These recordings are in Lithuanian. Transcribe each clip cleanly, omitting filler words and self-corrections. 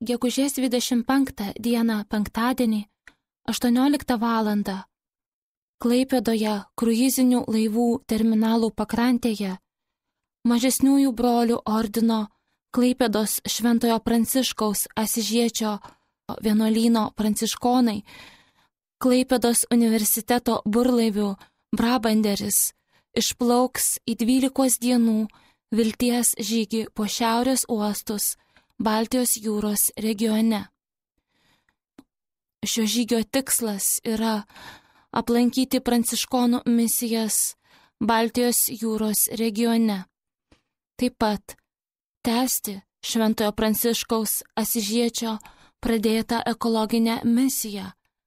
gegužės 25 dieną penktadienį 18 val. Klaipėdoje kruizinių laivų terminalų pakrantėje Mažesniųjų brolių ordino Klaipėdos Šventojo Pranciškaus Asižiečio vienuolyno pranciškonai, Klaipėdos universiteto burlaivių Brabanderis išplauks į 12 dienų vilties žygį po šiaurės uostus Baltijos jūros regione. Šio žygio tikslas yra aplankyti pranciškonų misijas Baltijos jūros regione. Taip pat tęsti Šventojo Pranciškaus Asižiečio pradėtą ekologinę misiją,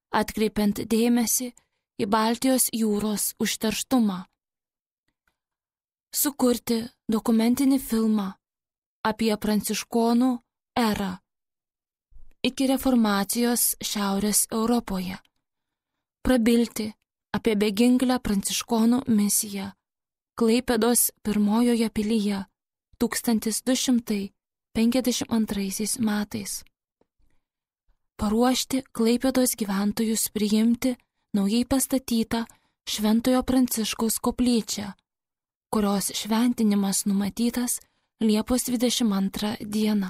atkreipiant dėmesį į Baltijos jūros užterštumą. Sukurti dokumentinį filmą apie pranciškonų erą iki reformacijos Šiaurės Europoje. Prabilti apie beginklę pranciškonų misiją Klaipėdos pirmojoje pilyje 1252 metais. Paruošti Klaipėdos gyventojus priimti naujai pastatytą Šventojo Pranciškaus koplyčią, kurios šventinimas numatytas Liepos 22 dieną.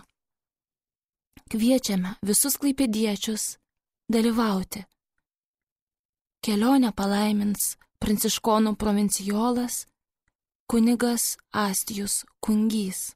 Kviečiame visus klaipėdiečius dalyvauti. Kelionę palaimins pranciškonų provincijolas kunigas Astijus Kungys.